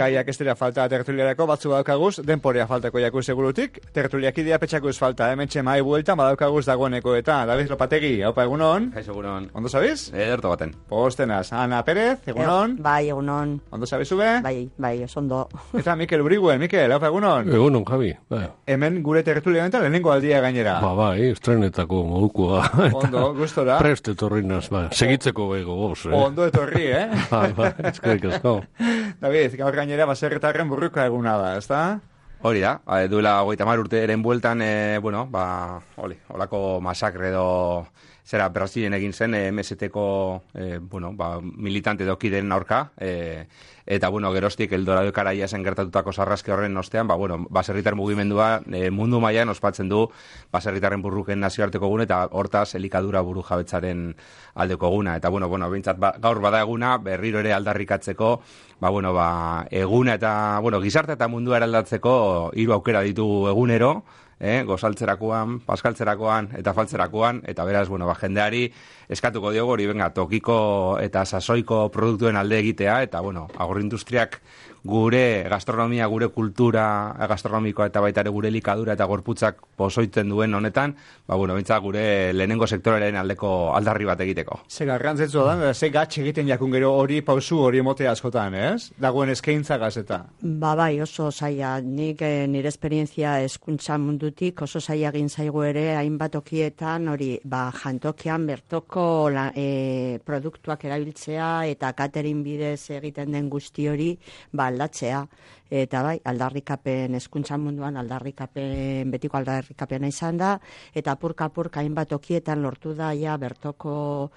gaiak ez dira falta tertuliarako, batzu badaukaguz, denporea faltako jakuz segurutik, tertuliak idea petxakuz falta, hemen txemai bueltan badaukaguz dagoeneko eta David Lopategi, haupa egunon? Kaixo, egunon. Ondo sabiz? Ederto baten. Postenaz, Ana Pérez, egunon? Bai, egunon. Ondo sabizu be? Bai, osondo. Eta Mikel Uriguen, Mikel, haupa egunon? Egunon, Javi. Bai. Hemen gure tertulia honetan lehenengo aldia gainera. Bai, estrenetako modukoa. Ondo, gustora. Prest etorrinaz, segitzeko bego goz. Ondo etorri, Bai, eskerrik asko. David, gaur gainera baserritarren burruka eguna da, ezta? Hori da, duela 30 urteren bueltan, holako masakre edo zera Brasilen egin zen, MST-ko militante dokiden aurka, eta geroztik Eldorado Karaia zen gertatutako sarraske horren ostean, baserritar mugimendua mundu mailan ospatzen du baserritarren burruken nazioarteko eguna eta hortaz elikadura buru jabetzaren aldeko eguna. Eta behintzat gaur bada eguna berriro ere aldarrikatzeko, eguna eta gizarte eta mundua eraldatzeko 3 aukera ditugu egunero, gozaltzerakoan, paskaltzerakoan eta faltzerakoan, eta beraz, jendeari eskatuko diogu hori, tokiko eta sasoiko produktuen alde egitea, eta, agroindustriak gure gastronomia, gure kultura gastronomikoa eta baita ere gure elikadura eta gorputzak pozoitzen duen honetan, bintzat gure lehenengo sektoraren aldeko aldarri bat egiteko. Ze garrantzetsua da, ze gatx egiten jakun gero hori pausu hori emotea askotan, ez? Dagoen eskaintza gazeta. Bai, oso zaila. Nik nire esperientzia hezkuntza mundutik oso zaila egin zaigu ere hainbat okietan hori, jantokian bertoko produktuak erabiltzea eta catering bidez egiten den guzti hori, aldatzea. Eta bai, aldarrikapen, hezkuntza munduan betiko aldarrikapena izan da, eta apurka hainbat okietan lortu da ja bertoko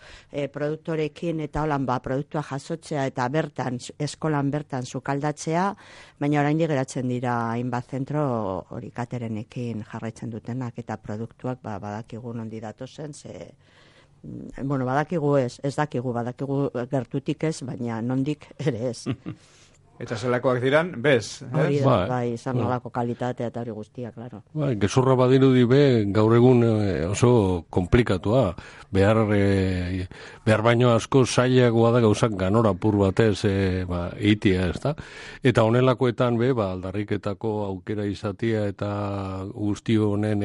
produktorekin eta holan produktua jasotzea eta eskolan bertan sukaldatzea, baina oraindik geratzen dira hainbat zentro hori caterenekin jarraitzen dutenak eta produktuak badakigu nondi datozen, badakigu ez dakigu, badakigu gertutik ez, baina nondik ere ez. Eta zelakoak diran, bez? Hori da, bai, izan nolako kalitatea eta hori guztia, klaro. Bai, gezurra badirudi gaur egun oso komplikatua. Behar baino asko zailagoa da gauzak ganora apur batez eitia, ez da? Eta honelakoetan aldarriketako aukera izatea eta guzti honen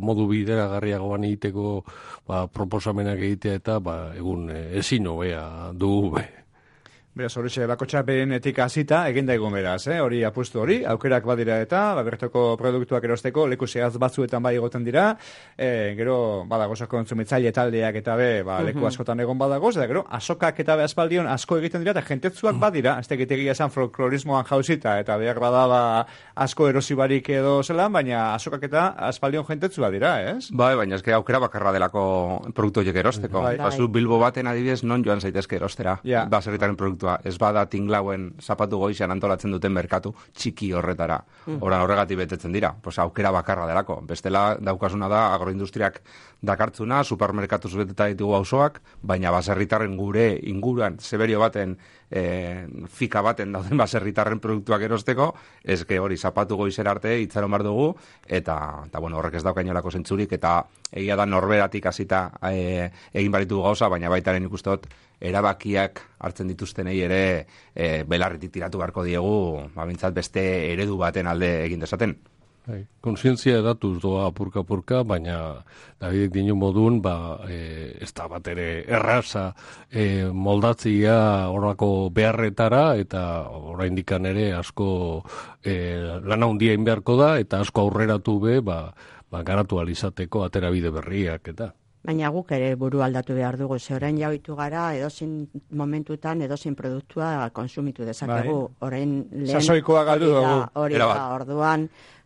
modu bideragarriagoan egiteko proposamenak egitea eta egun ezin hobea dugu Beraz, horixe, bakotxa berenetik hasita egin daigun beraz, hori apustu hori, aukerak badira eta, bertoko produktuak erosteko, leku zehaz batzuetan bai egoten dira, gero, badagoz kontsumitzaile taldeak eta leku askotan egon badagoz, eta gero, azokak eta aspaldion asko egiten dira, eta jentetzuak badira, ez tegitegia esan folklorismoan jauzita, eta behar badaba asko erosibarik edo zelan, baina azokak eta aspaldion jentetzua dira, ez? Bai, baina ez aukera bakarra delako produktu horiek erosteko. Bazu Bilbo baten adibidez, non joan zaitezke erostera, baserritaren produktu. Ez bada tinglauen zapatu goizean antolatzen duten merkatu txiki horretara. Horregatik betetzen dira. Aukera bakarra delako. Bestela daukasuna da agroindustriak dakartzuna, supermerkatuz beteta ditugu auzoak, baina baserritarren gure inguruan, zeberio baten, fika baten dauden baserritarren produktuak erosteko, ezke hori zapatu goizera arte itxaron bar dugu, eta horrek ez daukainolako zentzurik, eta egia da norberatik hasita egin baritu gauza, baina baitaren ikustot erabakiak hartzen dituztenei ere belarritik tiratu beharko diegu, bintzat beste eredu baten alde egin dezaten. Kontzientzia edatuz doa apurka, baina Davidek dinu modun, ez da bat ere erraza moldatzia horako beharretara, eta oraindikan ere asko lana handia egin beharko da, eta asko aurreratu garatu alizateko aterabide berriak, eta... Baina guk ere buru aldatu behar dugu, ze orain jauitu gara, edozin momentutan, edozin produktua konsumitu dezakegu. Sasoikoa galdu dugu. Hori da, orduan,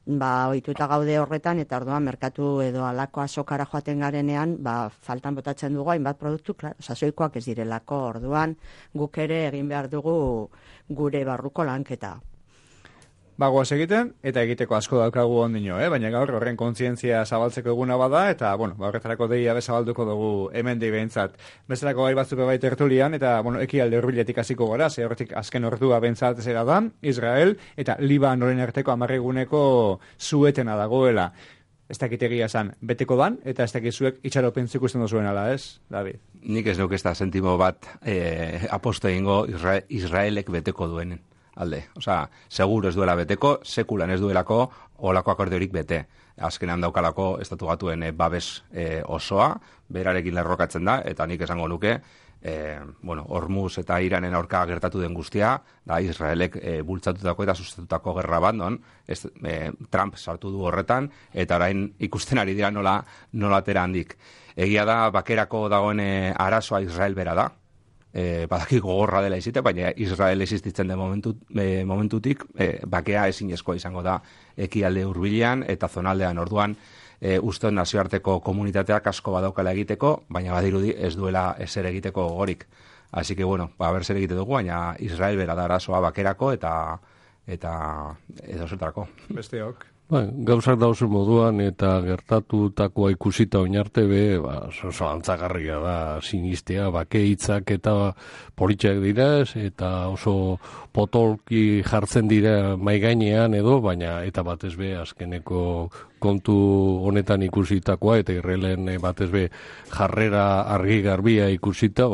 ohituta gaude horretan, eta orduan merkatu edo alako azokara joaten garenean, faltan botatzen dugu, hainbat produktu, klaro, sasoikoak ez direlako, orduan, guk ere egin behar dugu gure barruko lanketa. Bagoaz egiten, eta egiteko asko daukagu ondino, baina gaur horren kontzientzia zabaltzeko eguna bada, eta, horretarako deia bezabalduko dugu hemen behintzat. Bezalako gai batzuk bai tertulian, eta, ekialde hurbiletik hasiko gara, ze horretik azken ordua behintzat zera da, Israel, eta Libanoren arteko 10 eguneko zuetena dagoela. Ez dakitegia esan, beteko dan, eta ez dakizuek itxaropen zikusten duzuen ala, ez, David? Nik ez nuke ez da sentimo bat aposto egingo Israelek beteko duenen. alde. Osea, seguro ez duela beteko, sekulan ez duelako olako akordiorik bete. Azkenean daukalako estatu batuen babes osoa, berarekin lerrokatzen da, eta nik esango nuke, Hormuz eta Iranen aurka gertatu den guztia, da Israelek bultzatutako eta sustatutako gerra bat, Trump sartu du horretan, eta orain ikusten ari dira nola atera handik. Egia da, bakerako dagoen arazoa Israel bera da, badaki gogorra dela izite, baina Israel existitzen den momentutik, bakea ezinezkoa izango da ekialde hurbilean eta zonaldean. Orduan, uste nazioarteko komunitateak asko badaukala egiteko, baina badirudi ez duela ezer egiteko gogorik. Así que, ber zer egite dugu, baina Israel bera da arazoa bakerako eta edo zertarako. Besteok. Gauzak dauzen moduan eta gertatutakoa ikusita oinarte oso antzagarria da sinistea, bake hitzak eta politxak dira, eta oso potolki jartzen dira maigainean edo, baina eta batez be azkeneko kontu honetan ikusitakoa eta Israelen batez be jarrera argi garbia ikusita,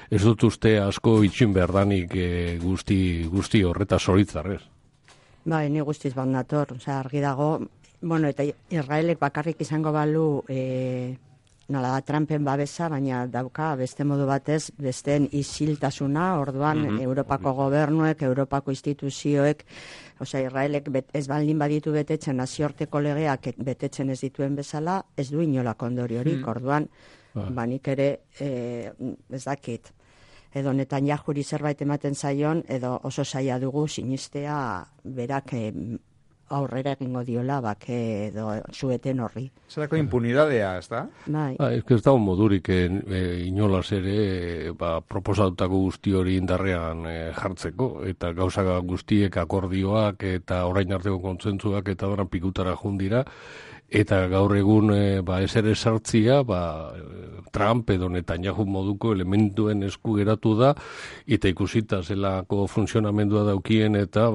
ez dut uste asko itxin berdanik guzti horreta zoritzarrez. Ni guztiz bat nator, argi dago, eta Israelek bakarrik izango balu nola da Trumpen babesa, baina dauka beste modu batez, besteen isiltasuna, orduan Europako gobernuek, Europako instituzioek, Israelek ez baldin baditu betetzen nazioarteko legeak betetzen ez dituen bezala, ez du inolako ondoriorik, orduan, nik ere ez dakit. Edo Netanyahuri zerbait ematen zaion, edo oso zaila dugu sinistea berak aurrera egingo diola, edo zueten horri. Zerako impunidadea, ez da? Ez da modurik inolaz ere proposatutako guzti hori indarrean jartzeko, eta gauza guztiek akordioak eta orain arteko kontzentzuak eta oran pikutara jundira, eta gaur egun ezer esartzia Trump edo Netanyahu moduko elementuen esku geratu da, eta ikusita zelako funtzionamendua daukien, eta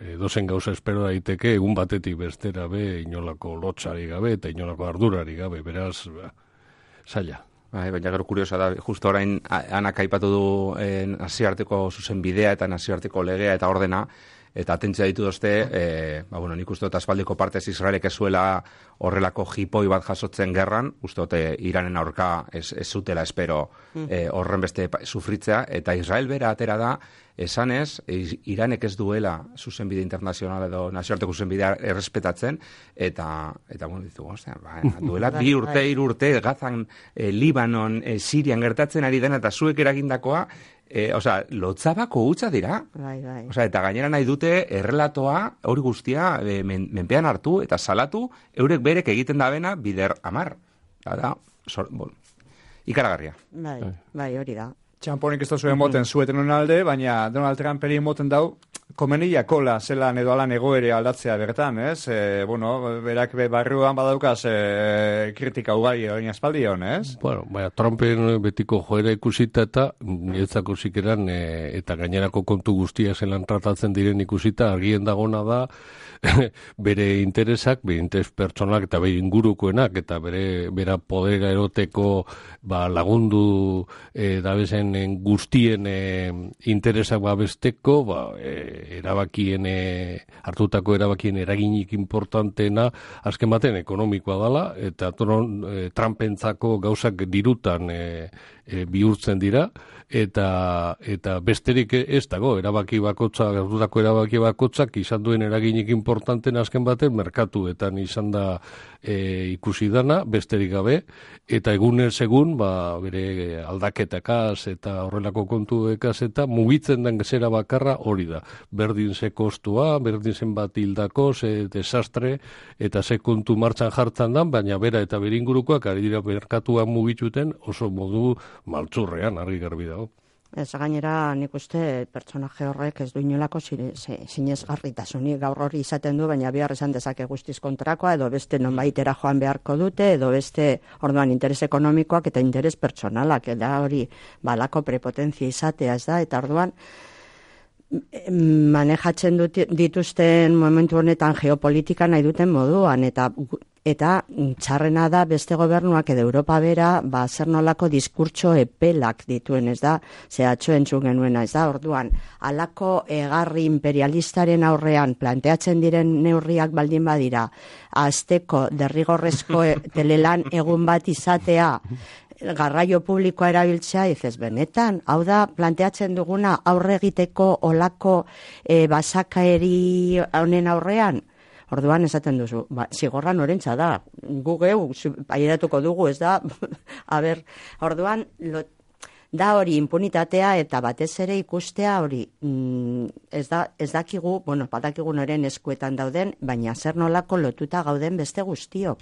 edozen gauza espero daiteke egun batetik bestera inolako lotxari gabe eta inolako ardurari gabe, beraz, zaila. Baina gero kuriosa da, justo orain anak aipatu du nazioarteko zuzenbidea eta nazioarteko legea eta ordena, eta atentzia ditu dozte, nik uste dut aspaldiko partez Israelek ez zuela horrelako jipoi bat jasotzen gerran, uste dut Iranen aurka ez zutela espero horren beste sufritzea, eta Israel bera atera da, esanez, Iranek ez duela zuzenbide internazional edo nazioarteko zuzenbidea errespetatzen, eta duela 2 urte, 3 urte, Gazan, Libanon, Sirian gertatzen ari dena, eta zuek eragindakoa, lotzabako hutsa dira. Eta gainera nahi dute errelatoa hori guztia menpean hartu eta salatu eurek berek egiten da bena bider 10. Ikaragarria. Hori da. Txamponik ez da zuen moten zueten honen alde, baina Donald Trumperi moten dau, komenia kola zelan edo alan egoere aldatzea bertan, ez? Berak barruan badaukaz kritika ugari hori aspaldion, ez? Trumpen betiko joera ikusita eta niretzako zikeran eta gainerako kontu guztia zelan tratatzen diren ikusita, argien dagona da bere interesak, bere interes pertsonalak eta bere ingurukoenak eta bera podera eroteko lagundu dabezen guztien interesak besteko, hartutako erabakien eraginik importanteena azken baten ekonomikoa dela, eta Trumpentzako gauzak dirutan bihurtzen dira, eta besterik ez dago, hartutako erabaki bakotzak izan duen eraginik importanten azken baten merkatuetan izan da ikusi dana, besterik gabe, eta egunez egun bere aldaketakaz eta horrelako kontuekaz eta mugitzen den zera bakarra hori da. Berdin ze kostua, berdin zen bat hildako, ze desastre eta ze kontu martxan jartzen dan, baina bera eta bere ingurukoak ari dira merkatuan mugituten oso modu maltzurrean, argi garbi dago. Gainera nik uste pertsonaje horrek ez du inolako sinesgarritasunik gaur hori izaten du, baina behar esan dezake guztiz kontrakoa, edo beste nonbaitera joan beharko dute, edo beste orduan interes ekonomikoak eta interes pertsonalak, eta hori balako prepotentzia izatea ez da, eta orduan manejatzen dituzten momentu honetan geopolitika nahi duten moduan, eta Eta txarrena da beste gobernuak edo Europa bera, zer nolako diskurtso epelak dituen, ez da, atzo entzun genuena, ez da, orduan, halako egarri imperialistaren aurrean planteatzen diren neurriak baldin badira, azteko derrigorrezko telelan egun bat izatea, garraio publikoa erabiltzea, izez benetan, hau da, planteatzen duguna aurre egiteko olako basakaeri honen aurrean. Orduan esaten duzu, zigorra norentza da, gu geu, aieratuko dugu, ez da, orduan, da hori impunitatea eta batez ere ikustea hori, ez dakigu, badakigu noren eskuetan dauden, baina zer nolako lotuta gauden beste guztiok.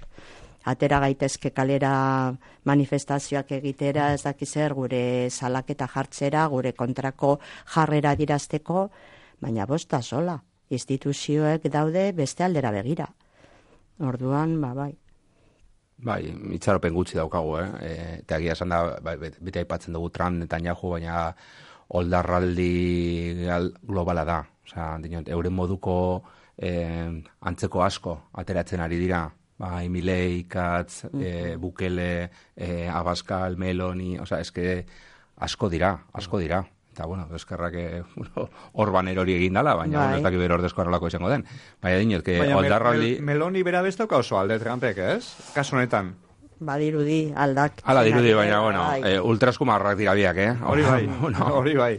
Atera gaitezke kalera manifestazioak egitera, ez dakizer gure salaketa jartzera, gure kontrako jarrera dirazteko, baina bosta sola. Instituzioek daude beste aldera begira. Orduan, bai. Bai, itxaropen gutxi daukagu, eta egia esan da, bete aipatzen dugu Trump Netanyahu, baina oldarraldi globala da. Osea, euren moduko antzeko asko ateratzen ari dira. Bai, Milei, Katz, Bukele, Abascal, Meloni, osea, eske asko dira. Eta, eskerrak Orban erori egin dala, baina ez dakit bero ordezko arrolako izango den. Baina dinot, oldarraldi... Meloni bera beztauka oso alde Trumpek, ez? Kasu honetan. Badirudi, aldak. Hala dirudi, baina, ultraskumarrak dira biak, Hori bai.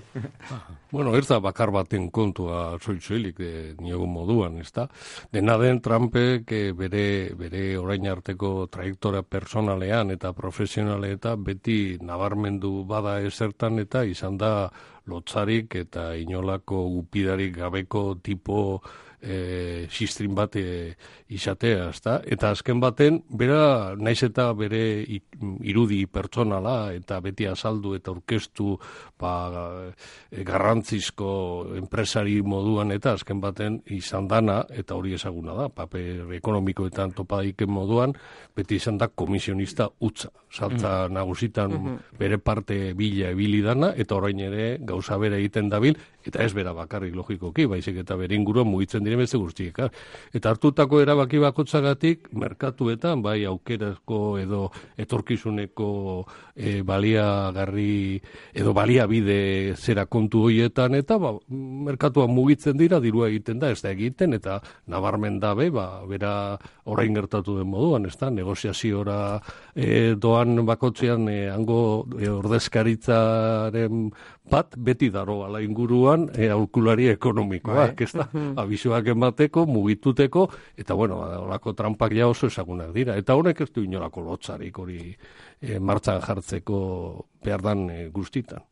Ez da bakar baten kontua soilik niogun moduan, ez da? Dena den Trumpek bere orain arteko trajektoria personalean eta profesionalean beti nabarmendu bada ezertan eta izan da lotzarik eta inolako gupidarik gabeko tipo sistrin bat izatea, ezta? Eta azken baten, bera naiz eta bere irudi pertsonala eta beti azaldu eta orkestu garrantzizko enpresari moduan eta azken baten izan dana, eta hori ezaguna da, paper ekonomikoetan topadaiken moduan, beti izan da komisionista utza. Saltza nagusitan bere parte bila ebili dana, eta orain ere gauza bera egiten dabil, eta ez bera bakarrik logikoki, baizik eta bere inguruan mugitzen diren beste guztiek. Eta hartutako erabaki bakotzagatik, merkatuetan, bai aukerazko edo etorkizuneko baliagarri edo baliabide zera kontu horietan, eta merkatuan mugitzen dira, dirua egiten da, ez da egiten, eta nabarmen dabe, bera orain gertatu den moduan, ez da, negoziaziora doan bakotzean hango ordezkaritzaren bat beti daro ala inguruan aholkulari ekonomikoak, ez da, abisoak emateko, mugituteko, eta olako trampak ja oso ezagunak dira. Eta honek ez du inolako lotzarik hori martxan jartzeko behar dan guztitan.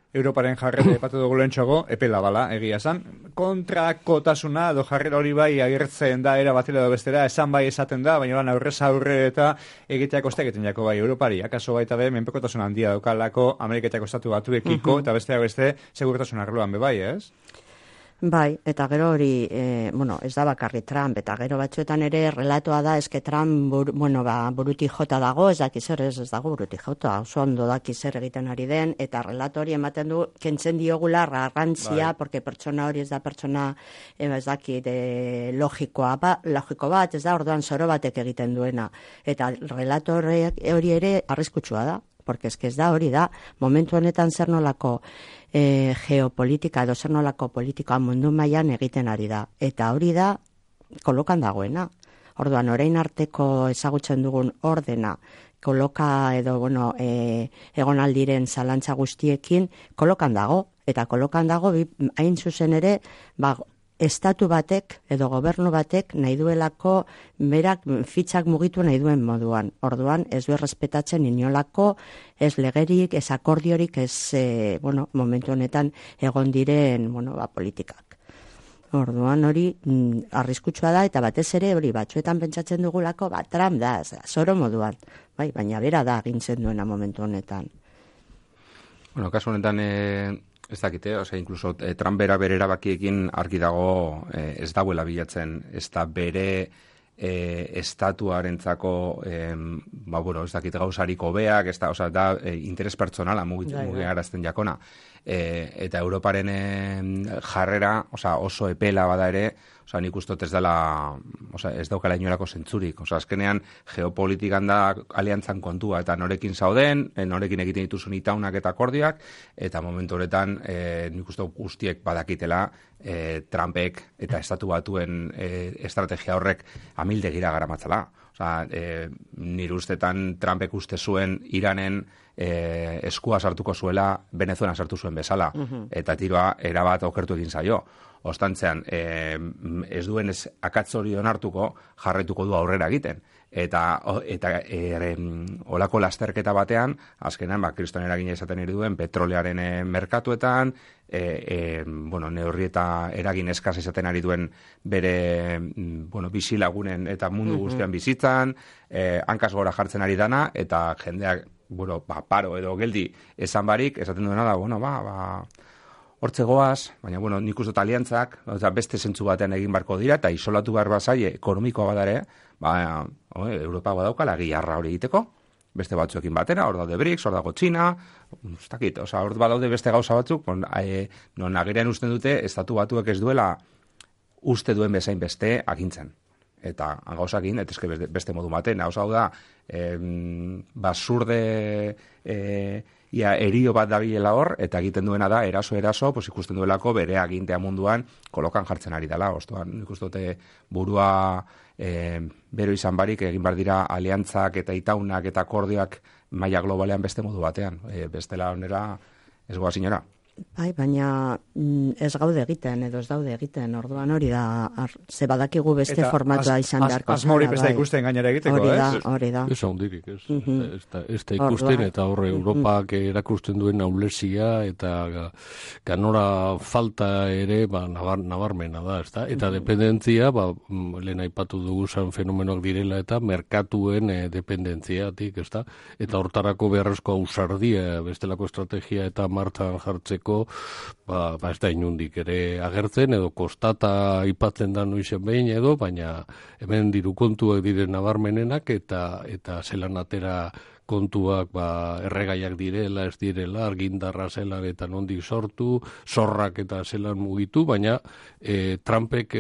Europaren jarrera epatu dugu lehentxoago, epela bala, egia esan. Kontrakotasuna, jarrera hori bai agertzen da, era batera edo bestera, esan bai esaten da, baina aurrez aurre eta egiteak oste egiten jako bai Europari. Akaso baita be, menpekotasun handia daukalako, Ameriketako estatu batuekiko, eta besteak beste, segurtasun arloan be bai, ez? Bai, eta gero hori, ez da bakarri Trump, eta gero batzuetan ere relatoa da, eske Trump, buruti jota dago, ez daki zer, ez dago buruti jota, oso ondo daki zer egiten ari den, eta relato hori ematen du, kentzen diogula garrantzia, porque pertsona hori ez da pertsona, ez daki, logiko bat, ez da, orduan zoro batek egiten duena, eta relato hori ere arriskutsua da, porque ez da hori da, momentu honetan zer nolako geopolitika edo zer nolako politikoa mundu mailan egiten ari da. Eta hori da kolokan dagoena. Orduan, orain arteko ezagutzen dugun ordena, koloka edo, egon aldiren zalantza guztiekin, kolokan dago. Eta kolokan dago, hain zuzen ere, estatu batek edo gobernu batek nahi duelako berak fitxak mugitu nahi duen moduan. Orduan ez du errespetatzen inolako, ez legerik, ez akordiorik, ez momentu honetan egon diren politikak. Orduan hori arriskutsua da eta batez ere hori batzuetan pentsatzen dugulako Trump da, zoro moduan. Bai, baina bera da agintzen duena momentu honetan. Kasu honetan ez dakite, incluso Trump bere erabakiekin argi dago ez dauela bilatzen, ez da bere estatuarentzako ez dakit gauzarik hobeak, da interes pertsonala mugiarazten jakona. Eta Europaren jarrera, oso epela bada ere, nik uste ez dela, ez daukala inolako zentzurik. Azkenean, geopolitikan da aliantzan kontua, eta norekin zauden, norekin egiten dituzun itaunak eta akordioak, eta momentu horretan, nik uste guztiek badakitela, Trumpek eta estatu batuen estrategia horrek amildegira garamatzala. Nire ustetan Trumpek uste zuen Iranen eskua sartuko zuela Venezuelan sartu zuen bezala, eta tiroa erabat okertu egin zaio. Ostantzean, ez duen akatzori onartuko, jarraituko du aurrera egiten. Eta olako lasterketa batean, azkenan, kriston eragina izaten ere duen, petrolearen merkatuetan, neurri eta eragin eskaz izaten ari duen bere bizilagunen eta mundu guztian bizitzan, hankaz gora jartzen ari dana, eta jendeak, paro edo geldi esan barik, esaten duena da, hortze goaz, baina, nik uste aliantzak, beste zentzu batean egin barko dira, eta isolatu behar bazaie, ekonomikoa badare, Europa badaukala giharra hori egiteko, beste batzuekin batera, hor daude BRICS, hor dago Txina, hor badaude beste gauza batzuk, non agerian usten dute, estatu batuek ez duela uste duen bezain beste agintzen. Eta gauzakin, eta beste modu baten, hau da, basurde erio bat dabilela hor, eta egiten duena da, eraso, ikusten duelako bere agintea munduan kolokan jartzen ari dela. Ostuan, nik uste dute burua bero izan barik, egin bar dira aliantzak eta itaunak eta akordioak maila globalean beste modu batean. Bestela onera ez goa zinora. Bai, baina ez gaude egiten, edo ez daude egiten, orduan hori da, ze badakigu beste formatua izan beharko. Asmo hori beste ikusten gainera egiteko, hori da. Ez handirik, ez da ikusten, eta horre Europak erakusten duen aulesia, eta ganora falta ere, nabarmena da, ez da? Eta dependentzia, lehen aipatu dugu zan fenomenoak direla, eta merkatuen dependentziatik, ez da? Eta hortarako beharrezko ausardia, bestelako estrategia eta martxan jartzeko, ez da inundik ere agertzen, edo kostata aipatzen da nuizen behin edo, baina hemen diru kontuak diren nabarmenenak, eta zelan atera kontuak erregaiak direla, ez direla, argindarra zelan eta nondik sortu, zorrak eta zelan mugitu, baina Trumpek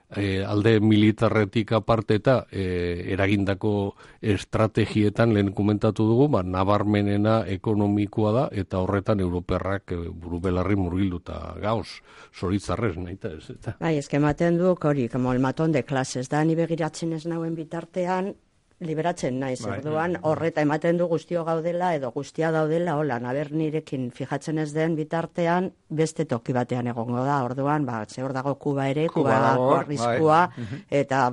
alde militarretik aparte eta eragindako estrategietan lehen komentatu dugu, nabarmenena ekonomikoa da, eta horretan europerrak buru belarri murgilduta gauz, zoritzarrez, nahita ez. Bai, ematen du, hori, como el matón de clases, da, ni begiratzen ez nauen bitartean, liberatzen naiz, orduan horreta ematen du guztio gaudela edo guztia daudela, hola, naber nirekin fijatzen ez den bitartean beste toki batean egongo da, orduan, ze hor dago Kuba ere, Kubako arriskua, eta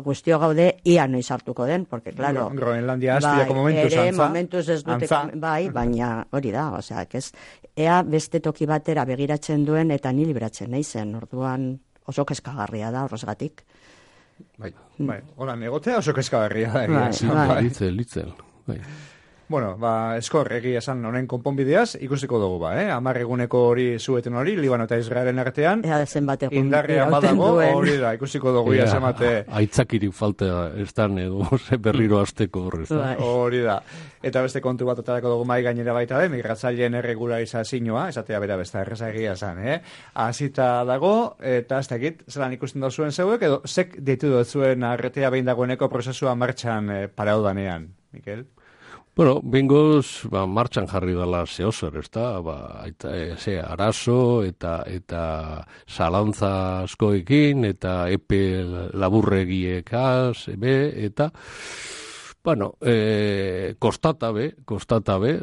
guztio gaude ia noiz hartuko den, porque, claro, Groenlandia astiako momentuz antza. Momentuz ez dute, baina hori da, osea, ea beste toki batera begiratzen duen eta ni liberatzen naizen, orduan oso kezkagarria da horrezgatik. Bai, hola, negotea oso kezkagarria da. Litzel. Bueno, eskor, egia esan honen konponbideaz, ikusiko dugu 10 eguneko hori zueten hori, Libano eta Israelen artean. Indarrean badago, hori da, ikusiko dugu zenbate. Aitzakirik falta estan edo, berriro azteko horrez. Hori da. Eta beste kontu bat otarako dugu mai gainera baita migratzaileen erregularizazioa, esatea bera besta erreza egia esan, Hasita dago, eta ez dakit, zelan ikusten duzuen zeuek, edo zek ditu dut zuen arretea behin dagoeneko prozesua martxan paraudanean, Mikel? Bueno, bengoz, martxan jarri dela zehozer, ez da, arazo eta zalantza askoekin, eta epe laburregiekaz, eta, bueno, kostata be,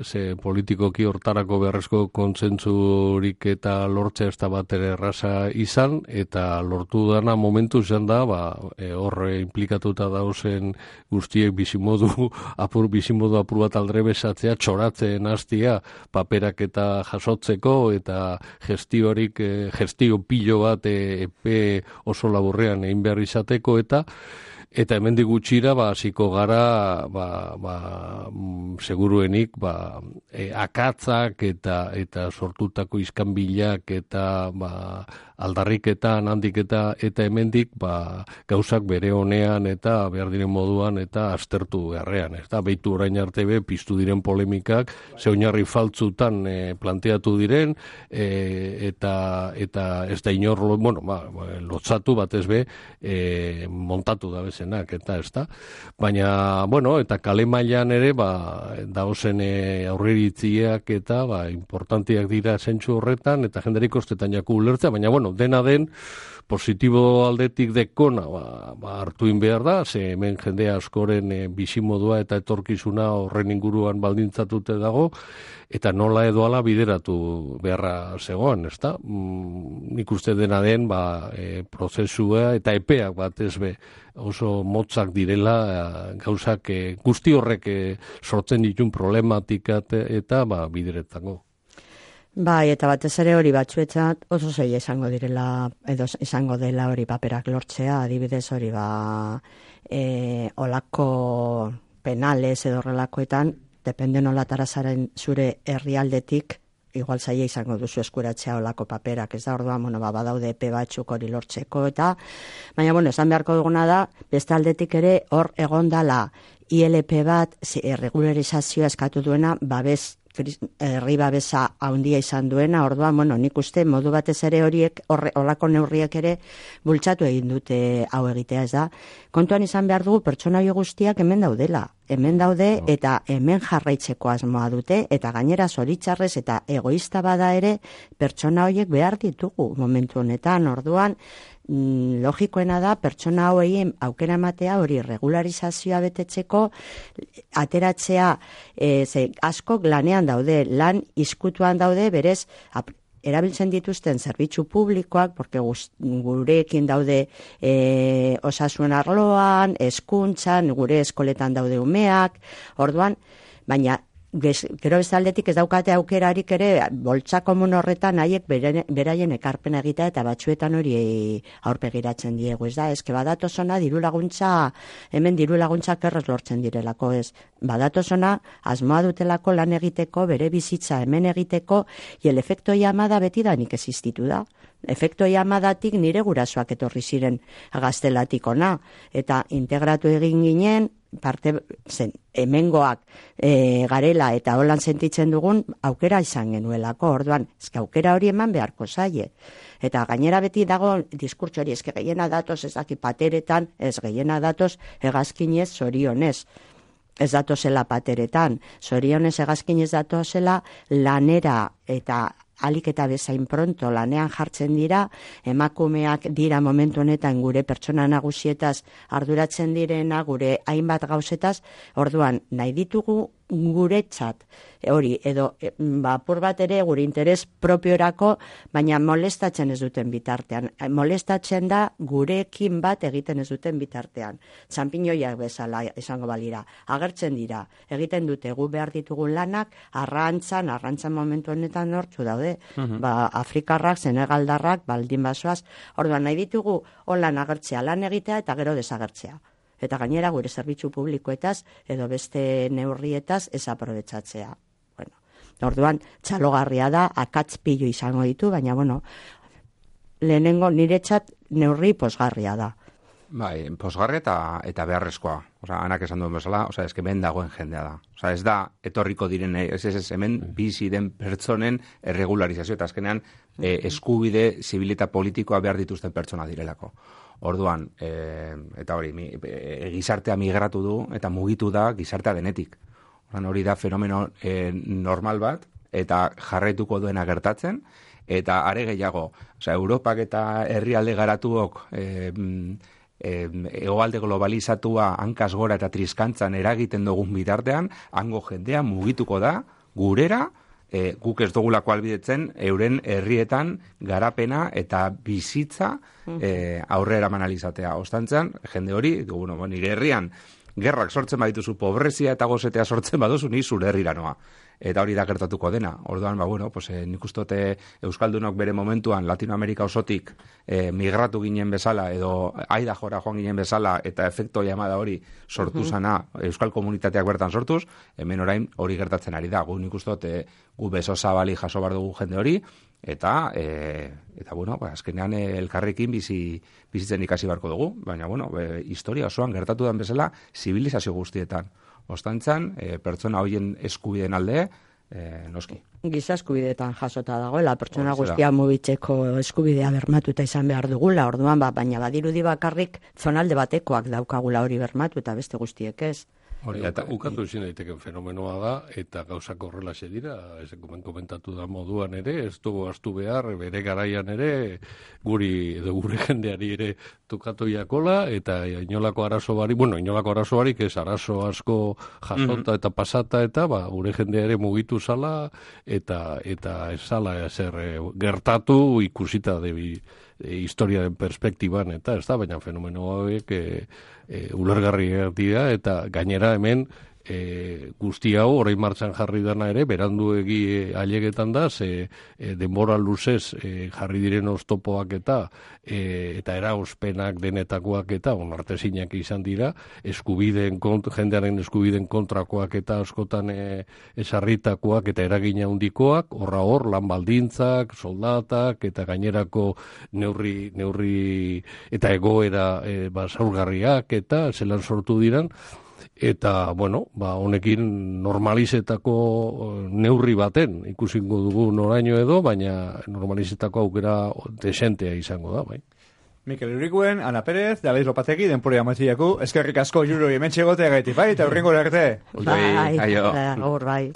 ze politikoki hortarako beharrezko kontsentsurik eta lortzea ez da bat ere erraza izan, eta lortu dana momentu izan da, horre implikatuta dauzen guztiek bizimodu apur bat aldre besatzea, txoratzen hastia paperak eta jasotzeko, eta gestio pilo bat epe oso laburrean egin behar izateko, eta hemendik gutxira hasiko gara seguruenik akatzak eta sortutako iskanbilak eta aldarriketan handik eta hemendik gauzak bere honean eta behar diren moduan eta aztertu beharrean. Eta behitu orain arte piztu diren polemikak, ze oinarri faltzutan planteatu diren, eta ez da inor, lotzatu batez montatu da bezenak, eta ez da. Baina, eta kale mailan ere, daozen aurreritziak eta importantiak dira zentsu horretan, eta jenderik ostetan jaku ulertzea, baina, dena den, positibo aldetik dekona hartuin behar da, ze hemen jende askoren bizimodua eta etorkizuna horren inguruan baldintzatute dago, eta nola edo ala bideratu beharra zegoen, ezta? Nik uste dena den prozesua eta epeak batez oso motzak direla gauzak guzti horrek sortzen ditun problematikat eta bideretzako. Bai, eta batez ere hori batzuetzat oso zaila izango direla, edo izango dela hori paperak lortzea, adibidez hori olako penales edo horrelakoetan, depende nolatara zaren zure herrialdetik, igual zaila izango duzu eskuratzea olako paperak, ez da, orduan, badaude epe batzuk hori lortzeko, eta, baina, esan beharko duguna da, beste aldetik ere hor egondala ILP bat, regularizazioa eskatu duena, herri babesa handia izan duena, orduan, nik uste modu batez ere horiek, olako neurriek ere bultzatu egin dute hau egitea, ez da. Kontuan izan behar dugu pertsona hori guztiak hemen daudela. Hemen daude eta hemen jarraitzeko asmoa dute, eta gainera zoritxarrez eta egoista bada ere pertsona horiek behar ditugu momentu honetan, orduan, logikoena da pertsona hauei aukera ematea hori regularizazioa betetzeko ateratzea askok lanean daude, lan izkutuan daude, berez erabiltzen dituzten zerbitzu publikoak, porque gurekin daude osasun arloan, hezkuntzan, gure eskoletan daude umeak, orduan, baina gero bezaldetik ez daukate aukerarik ere boltsa komun horretan haiek beraien ekarpena egitea eta batzuetan hori aurpegiratzen diegu, ez da, eske badatozona diru laguntza, hemen diru laguntzak errez lortzen direlako, ez, badatozona asmoa dutelako lan egiteko, bere bizitza hemen egiteko, y el efecto llamada betidanik existitu da. Efekto llamadatik nire gurasoak etorri ziren gaztelatik ona, eta integratu egin ginen, parte hemengoak garela eta holan sentitzen dugun aukera izan genuelako, orduan, eske aukera hori eman beharko zaie. Eta gainera beti dago diskurtso hori, eske gehiena datoz ez daki pateretan, ez gehiena datoz hegazkinez zorionez. Ez datozela pateretan, zorionez hegazkinez datozela lanera eta alik eta bezain pronto lanean jartzen dira, emakumeak dira momentu honetan gure pertsona nagusietaz arduratzen direna, gure hainbat gauzetaz, orduan nahi ditugu guretzat, hori, edo apur bat ere gure interes propiorako, baina molestatzen ez duten bitartean. Molestatzen da gurekin bat egiten ez duten bitartean. Txanpinoiak bezala izango balira. Agertzen dira, egiten dute gu behar ditugun lanak, arrantzan momentu honetan hortzu daude. Afrikarrak, senegaldarrak, baldin basoaz, orduan nahi ditugu holan agertzea, lan egitea eta gero desagertzea. Eta gainera gure zerbitzu publikoetaz edo beste neurrietaz ez aprobetxatzea. Orduan, txalogarria da, akatz pilu izango ditu, baina, lehenengo niretzat neurri posgarria da. Bai, posgarri eta beharrezkoa. Anak esan duen bezala, eske hemen dagoen jendea da. Ez da, etorriko diren, hemen bizi den pertsonen erregularizazio, eta azkenean eskubide zibil eta politikoa behar dituzten pertsona direlako. Orduan, eta hori, gizartea migratu du eta mugitu da gizartea denetik. Hori da fenomeno normal bat, eta jarraituko duena gertatzen, eta are gehiago, Europak eta herrialde garatuok hegoalde globalizatua hankaz gora eta triskantzan eragiten dugun bitartean, hango jendea mugituko da gurera, guk ez dugulako albidetzen euren herrietan garapena eta bizitza aurrera manalizatea. Ostantzean, jende hori, nire herrian gerrak sortzen badituzu, pobrezia eta gozetea sortzen baduzu, ni zure herrira noa. eta hori da gertatuko dena. Orduan, bueno, pues, nik uste Euskaldunok bere momentuan Latinoamerika osotik migratu ginen bezala, edo aida jora joan ginen bezala, eta efekto llamada hori sortu zana Euskal komunitateak bertan sortuz, hemen orain hori gertatzen ari da. Nik uste gu beso zabali jaso bar dugu jende hori, eta bueno, azkenean elkarrekin bizitzen ikasi barko dugu, baina bueno, historia osoan gertatu den bezala zibilizazio guztietan. Ostantzan, pertsona hoien eskubideen alde, noski. Giza eskubideetan jasota dagoela, pertsona guztia mugitzeko eskubidea bermatuta izan behar dugula, orduan, baina badirudi bakarrik zonalde batekoak daukagula hori bermatu eta beste guztiek ez. Hori, ukatu ezin daiteken fenomenoa da, eta gauzak horrelaxe dira, ez komentatu da moduan ere, ez dugu astu behar, bere garaian ere, gure jendeari ere tukatu jakola, eta inolako arazo barik, ez arazo asko jasota eta pasata, eta gure jendea ere mugitu zala, eta ez zala ezer gertatu ikusita historiaren perspektiban, eta ez da, baina fenomeno hauek ulergarriak dira, eta gainera hemen guzti hau orain martxan jarri dana ere, beranduegi ailegetan da, denbora luzez jarri diren oztopoak eta erauzpenak denetakoak eta onartezinak izan dira, jendearen eskubideen kontrakoak eta askotan esarritakoak eta eragina handikoak, hor lan baldintzak, soldatak eta gainerako neurri eta egoera zaurgarriak eta zelan sortu diran. Eta, bueno, honekin normalizetako neurri baten ikusingo dugu noraino edo, baina normalizetako aukera desentea izango da, bai. Mikel Urrikuen, Ana Pérez, David Lopategi, denporea matziaku, eskerrik asko juroi hemen txegotea gaiti, bai, eta urrengo arte. Bai, bai.